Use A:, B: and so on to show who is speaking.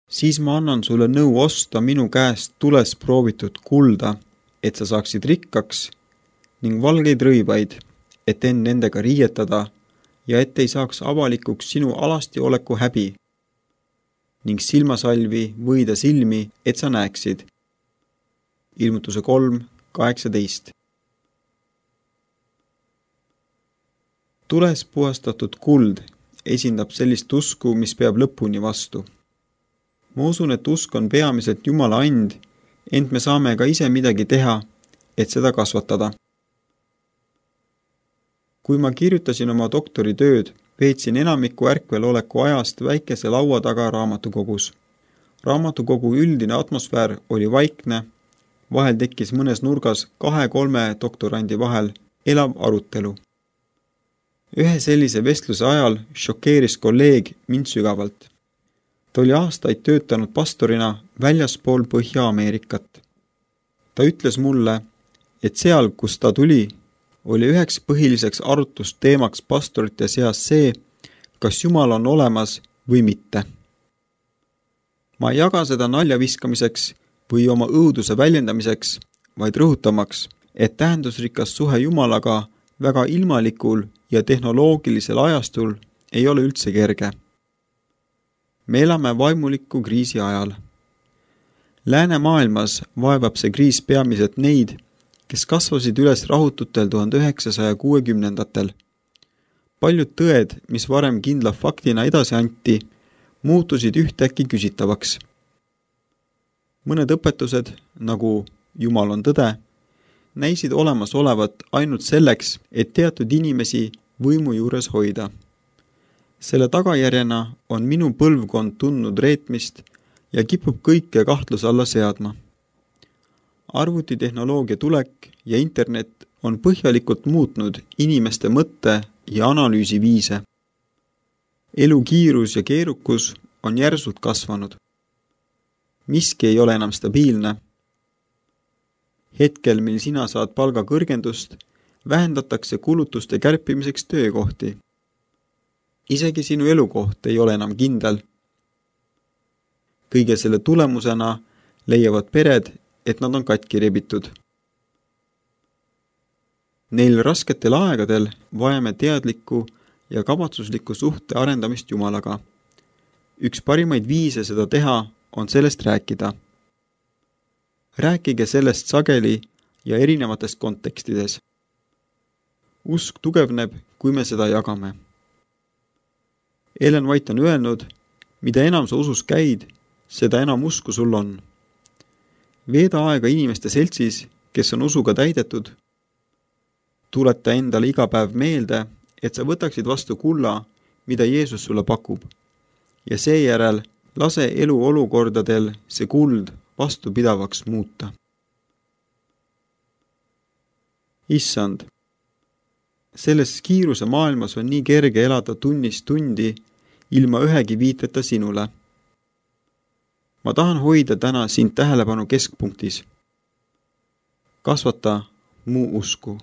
A: siis ma annan sulle nõu osta minu käest tules proovitud kulda, et sa saaksid rikkaks, ning valgeid rõivaid, et end nendega riietada ja et ei saaks avalikuks sinu alasti oleku häbi, ning silmasalvi võida silmi, et sa näeksid. Ilmutuse 3:18. Tules puhastatud kuld esindab sellist usku, mis peab lõpuni vastu. Ma usun, et usk on peamiselt Jumala and, ent me saame ka ise midagi teha, et seda kasvatada. Kui ma kirjutasin oma doktoritööd, veetsin enamiku ärkveloleku ajast väikese laua taga raamatukogus. Raamatukogu üldine atmosfäär oli vaikne, vahel tekkis mõnes nurgas 2-3 doktorandi vahel elav arutelu. Ühe sellise vestluse ajal šokeeris kolleeg mind sügavalt. Ta oli aastaid töötanud pastorina väljaspool Põhja-Ameerikat. Ta ütles mulle, et seal, kus ta tuli, oli üheks põhiliseks arutlusteemaks pastorite seas see, kas Jumal on olemas või mitte. Ma ei jaga seda nalja viskamiseks või oma õuduse väljendamiseks, vaid rõhutamaks, et tähendusrikas suhe Jumalaga väga ilmalikul ja tehnoloogilisel ajastul ei ole üldse kerge. Me elame vaimuliku kriisi ajal. Läänemaailmas vaevab see kriis peamiselt neid, kes kasvasid üles rahututel 1960-ndatel. Paljud tõed, mis varem kindla faktina edasi anti, muutusid ühtäkki küsitavaks. Mõned õpetused, nagu Jumal on tõde, näisid olemas olevat ainult selleks, et teatud inimesi võimu juures hoida. Selle tagajärjena on minu põlvkond tundnud reetmist ja kipub kõike kahtluse alla seadma. Arvutitehnoloogia tulek ja internet on põhjalikult muutnud inimeste mõtte ja analüüsiviise. Elu kiirus ja keerukus on järsult kasvanud. Miski ei ole enam stabiilne. Hetkel, mil sina saad palga kõrgendust, vähendatakse kulutuste kärpimiseks töökohti. Isegi sinu elukoht ei ole enam kindel. Kõige selle tulemusena leiavad pered, et nad on katki rebitud. Neil rasketel aegadel vajame teadlikku ja kavatsuslikku suhte arendamist Jumalaga. Üks parimaid viise seda teha on sellest rääkida. Rääkige sellest sageli ja erinevates kontekstides. Usk tugevneb, kui me seda jagame. Ellen White on öelnud, mida enam sa usus käid, seda enam usku sul on. Veeda aega inimeste seltsis, kes on usuga täidetud. Tuleta endale iga päev meelde, et sa võtaksid vastu kulla, mida Jeesus sulle pakub. Ja seejärel lase elu olukordadel see kuld vastupidavaks muuta. Issand, selles kiiruse maailmas on nii kerge elada tunnist tundi ilma ühegi viiteta sinule. Ma tahan hoida täna sind tähelepanu keskpunktis. Kasvata mu usku.